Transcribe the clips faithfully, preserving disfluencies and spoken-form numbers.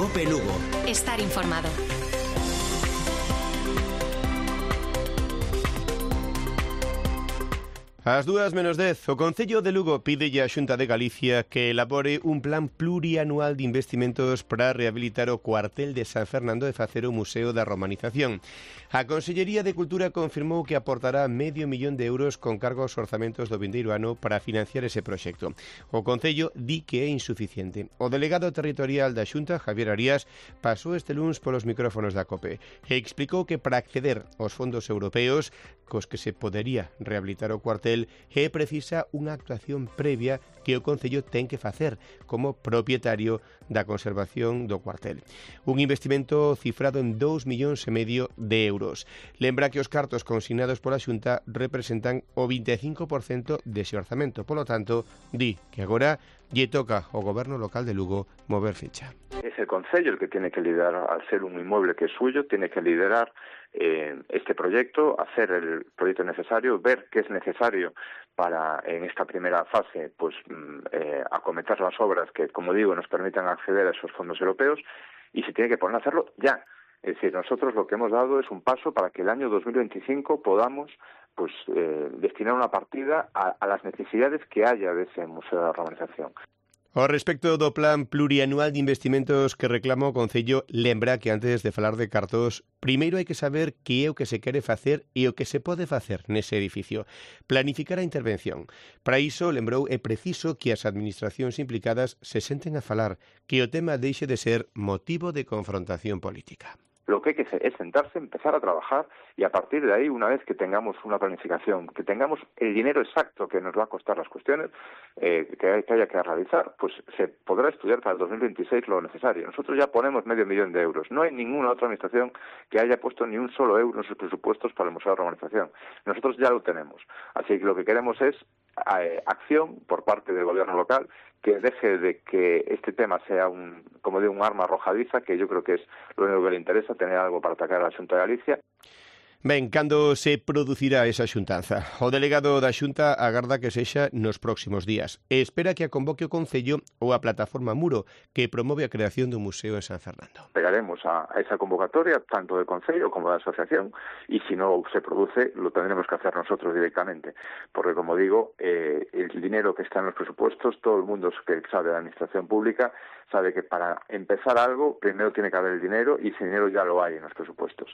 COPE Lugo. Estar informado. Ás dúas menos dez, o Concello de Lugo pídelle á Xunta de Galicia que elabore un plan plurianual de investimentos para rehabilitar o cuartel de San Fernando e facer o Museo da Romanización. A Consellería de Cultura confirmou que aportará medio millón de euros con cargo aos orzamentos do vindeiro ano para financiar ese proxecto. O Concello di que é insuficiente. O delegado territorial da Xunta, Javier Arías, pasou este luns polos micrófonos da COPE e explicou que para acceder aos fondos europeos cos que se podería rehabilitar o cuartel é precisa unha actuación previa que o Concello ten que facer como propietario da conservación do cuartel. Un investimento cifrado en dous millóns e medio de euros. Lembra que os cartos consignados pola Xunta representan o vinte e cinco por cento dese orzamento. Polo tanto, di que agora lle toca ao Goberno local de Lugo mover ficha. Es el Concello el que tiene que liderar, al ser un inmueble que es suyo, tiene que liderar eh, este proyecto, hacer el proyecto necesario, ver qué es necesario para, en esta primera fase, pues eh, acometer las obras que, como digo, nos permitan acceder a esos fondos europeos, y se tiene que poner a hacerlo ya. Es decir, nosotros lo que hemos dado es un paso para que el año dos mil veinticinco podamos pues eh, destinar una partida a, a las necesidades que haya de ese Museo de la Romanización. Ao respecto do plan plurianual de investimentos que reclama o Concello, lembra que antes de falar de cartos, primeiro hai que saber que é o que se quere facer e o que se pode facer nese edificio. Planificar a intervención. Para iso, lembrou, é preciso que as administracións implicadas se senten a falar, que o tema deixe de ser motivo de confrontación política. Lo que hay que hacer es sentarse, empezar a trabajar y a partir de ahí, una vez que tengamos una planificación, que tengamos el dinero exacto que nos va a costar las cuestiones eh, que, que haya que realizar, pues se podrá estudiar para el dos mil veintiséis lo necesario. Nosotros ya ponemos medio millón de euros. No hay ninguna otra administración que haya puesto ni un solo euro en sus presupuestos para el Museo de la Romanización. Nosotros ya lo tenemos. Así que lo que queremos es eh, acción por parte del gobierno local, que deje de que este tema sea un, como digo, un arma arrojadiza, que yo creo que es lo único que le interesa, tener algo para atacar a la Xunta de Galicia. Ben, cando se producirá esa xuntanza? O delegado da Xunta agarda que sexa nos próximos días e espera que a convoque o Concello ou a plataforma Muro, que promove a creación do Museo en San Fernando. Pegaremos a esa convocatoria, tanto del Concello como de la asociación, y si no se produce, lo tendremos que hacer nosotros directamente. Porque, como digo, eh, el dinero que está en los presupuestos, todo el mundo que sabe de la administración pública sabe que para empezar algo, primero tiene que haber el dinero, y ese dinero ya lo hay en los presupuestos.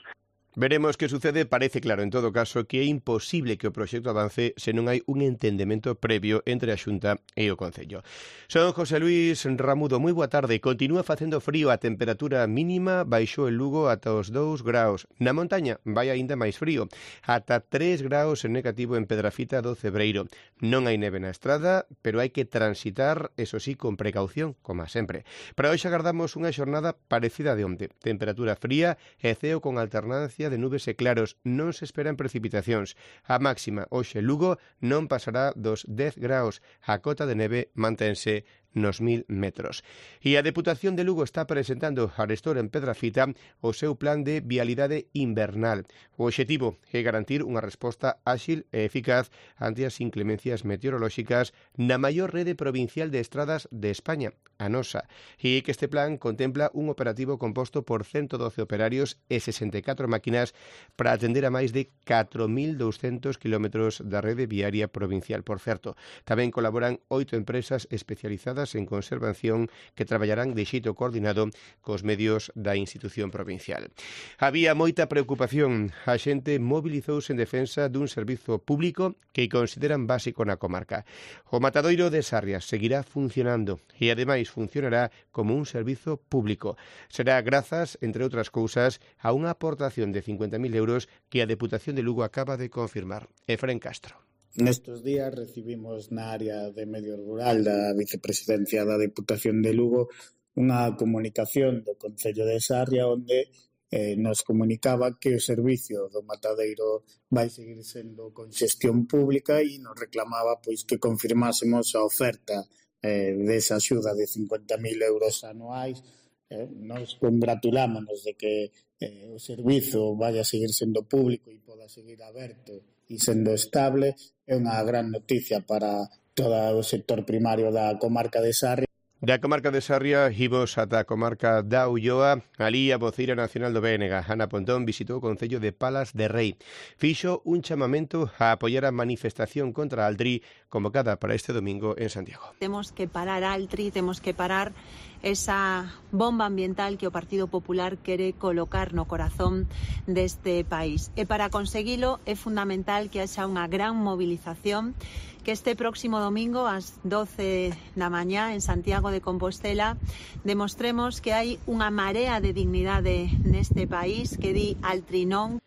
Veremos que sucede. Parece claro, en todo caso, que é imposible que o proxecto avance se non hai un entendemento previo entre a Xunta e o Concello. Son José Luis Ramudo, moi boa tarde. Continúa facendo frío, a temperatura mínima baixou en Lugo ata os dous graus. Na montaña vai aínda máis frío, ata tres graus en negativo en Pedrafita do Cebreiro. Non hai neve na estrada, pero hai que transitar, eso sí, con precaución, como sempre. Para hoxe agardamos unha xornada parecida de onte. Temperatura fría e ceo con alternancia de nubes e claros, non se esperan precipitacións. A máxima hoxe Lugo non pasará dos dez graus. A cota de neve mantense nos mil metros. E a Deputación de Lugo está presentando arestora en Pedrafita o seu plan de vialidade invernal. O obxectivo é garantir unha resposta áxil e eficaz ante as inclemencias meteorolóxicas na maior rede provincial de estradas de España, a nosa, e que este plan contempla un operativo composto por ciento doce operarios e sesenta e catro máquinas para atender a máis de catro mil douscentos kilómetros da rede viaria provincial. Por certo, tamén colaboran oito empresas especializadas en conservación que traballarán de xeito coordinado cos medios da institución provincial. Había moita preocupación. A xente mobilizouse en defensa dun servizo público que consideran básico na comarca. O matadoiro de Sarrias seguirá funcionando e, ademais, funcionará como un servizo público. Será grazas, entre outras cousas, a unha aportación de cincuenta mil euros que a Deputación de Lugo acaba de confirmar. Efrén Castro. Nestes días recibimos na área de medio rural da vicepresidencia da Deputación de Lugo unha comunicación do Concello de Sarria onde eh, nos comunicaba que o servicio do matadeiro vai seguir sendo con xestión pública e nos reclamaba pois que confirmásemos a oferta eh, desa axuda de cincuenta mil euros anuais. Eh, nos congratulámonos de que eh, o servizo vaya a seguir sendo público e poda seguir aberto e sendo estable. É unha gran noticia para todo o sector primario da comarca de Sarria. Da comarca de Sarria imos ata a comarca da Ulloa. Alí a voceira nacional do B N G, Ana Pontón, visitou o concello de Palas de Rei. Fixo un chamamento a apoiar a manifestación contra Altri convocada para este domingo en Santiago. Temos que parar Altri, temos que parar esa bomba ambiental que o Partido Popular quere colocar no corazón deste país. E para conseguilo é fundamental que haxa unha gran movilización, que este próximo domingo ás doce da mañá en Santiago de Compostela demostremos que hai unha marea de dignidade neste país que di Altri non.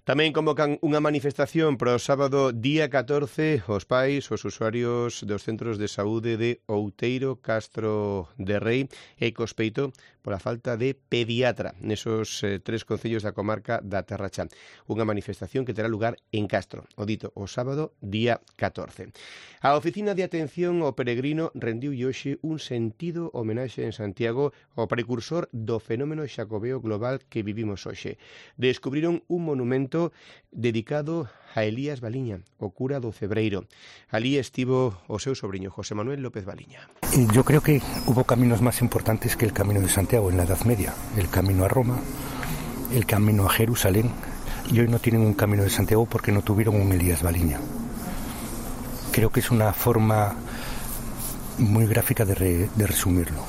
Tamén convocan unha manifestación para o sábado día catorce os pais, os usuarios dos centros de saúde de Outeiro, Castro de Rei e Cospeito pola falta de pediatra nesos eh, tres concellos da comarca da Terra Cha. Unha manifestación que terá lugar en Castro, o dito, o sábado día catorce. A Oficina de Atención ao Peregrino rendiu hoxe un sentido homenaxe en Santiago ao precursor do fenómeno xacobeo global que vivimos hoxe. Descubriron un monumento dedicado a Elías Baliña, o cura do Cebreiro. Alí estivo o seu sobriño, José Manuel López Baliña. Yo creo que hubo caminos más importantes que el Camino de Santiago en la Edad Media. El camino a Roma, el camino a Jerusalén, y hoy no tienen un Camino de Santiago porque no tuvieron un Elías Baliña. Creo que es una forma muy gráfica de, re, de resumirlo.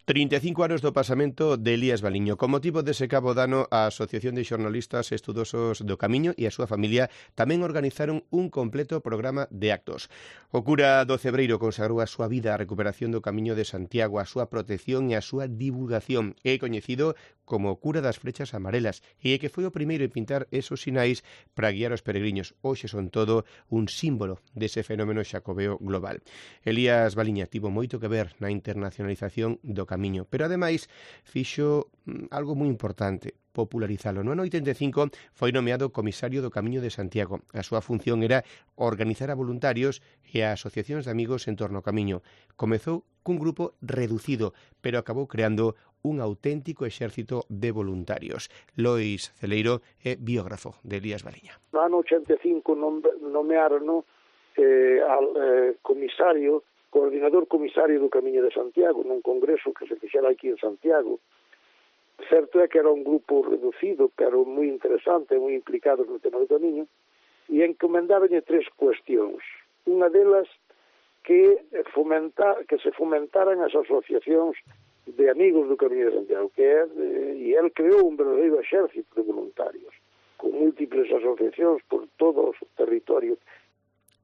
trinta e cinco anos do pasamento de Elías Baliño. Con motivo dese cabo dano, a Asociación de Xornalistas Estudosos do Camiño e a súa familia tamén organizaron un completo programa de actos. O cura do Cebreiro consagrou a súa vida á recuperación do Camiño de Santiago, a súa protección e a súa divulgación. É coñecido como o cura das flechas amarelas e que foi o primeiro en pintar esos sinais para guiar os peregrinos. Hoxe son todo un símbolo dese fenómeno xacobeo global. Elías Baliña tivo moito que ver na internacionalización do Camiño, pero ademais fixo algo moi importante, popularizalo. No ano oitenta e cinco foi nomeado comisario do Camiño de Santiago. A súa función era organizar a voluntarios e a asociacións de amigos en torno ao Camiño. Comezou cun grupo reducido, pero acabou creando un auténtico exército de voluntarios. Lois Celeiro é biógrafo de Elías Baliña. No ano oitenta e cinco nomearon eh, al eh, comisario coordinador comisario do Camiño de Santiago nun congreso que se fixera aquí en Santiago. Certo é que era un grupo reducido, pero moi interesante, moi implicado no tema do Camiño, e encomendáronlle tres cuestións. Unha delas que, fomenta, que se fomentaran as asociacións de amigos do Camiño de Santiago, que é, e el creou un verdadeiro exército de voluntarios, con múltiples asociacións por todo o territorio.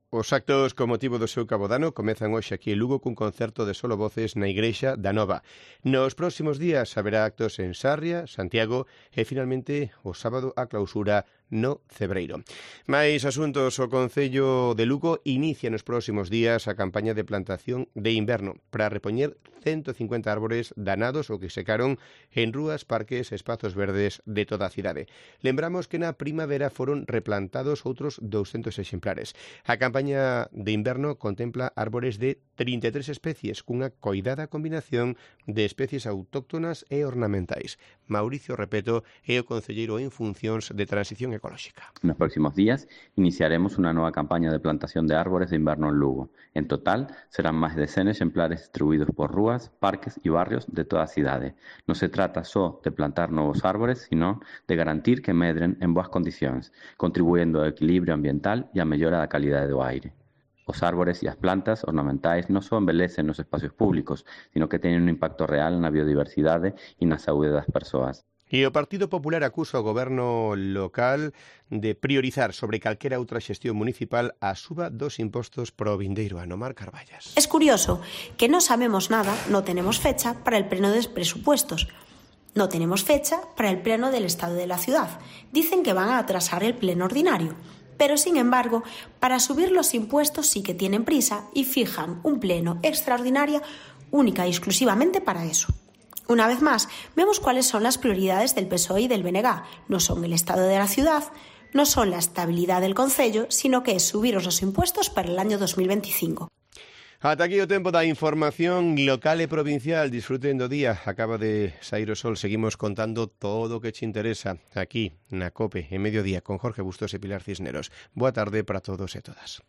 Os actos con motivo do seu cabodano comezan hoxe aquí en Lugo cun concerto de solo voces na Igrexa da Nova. Nos próximos días haberá actos en Sarria, Santiago e finalmente o sábado a clausura no Cebreiro. Mais asuntos, o Concello de Lugo inicia nos próximos días a campaña de plantación de inverno para repoñer ciento cincuenta árbores danados ou que secaron en rúas, parques e espazos verdes de toda a cidade. Lembramos que na primavera foron replantados outros douscentos exemplares. A campaña de inverno contempla árbores de trinta e tres especies cunha coidada combinación de especies autóctonas e ornamentais. Mauricio Repeto é o concelleiro en funcións de transición ecolóxica. En los próximos días iniciaremos una nueva campaña de plantación de árboles de invierno en Lugo. En total serán más de cien ejemplares distribuidos por rúas, parques y barrios de toda a cidade. No se trata só de plantar novos árboles, sino de garantir que medren en boas condicións, contribuyendo ao equilibrio ambiental e a mellora da calidade do aire. Os árbores e as plantas ornamentais non só embelecen nos espacios públicos, sino que teñen un impacto real na biodiversidade e na saúde das persoas. E o Partido Popular acusa o goberno local de priorizar sobre calquera outra xestión municipal a suba dos impostos pro vindeiro ano. Mar Carballas. Es curioso que no sabemos nada, no tenemos fecha para el pleno de presupuestos. No tenemos fecha para el pleno del Estado de la Ciudad. Dicen que van a atrasar el pleno ordinario. Pero, sin embargo, para subir los impuestos sí que tienen prisa y fijan un pleno extraordinario única y exclusivamente para eso. Una vez más, vemos cuáles son las prioridades del P S O E y del B N G. No son el estado de la ciudad, no son la estabilidad del concello, sino que es subiros los impuestos para el año dos mil veinticinco. Ata aquí o tempo da información local e provincial. Disfruten do día. Acaba de saír o sol. Seguimos contando todo o que te interesa aquí na COPE en Mediodía con Jorge Bustos e Pilar Cisneros. Boa tarde para todos e todas.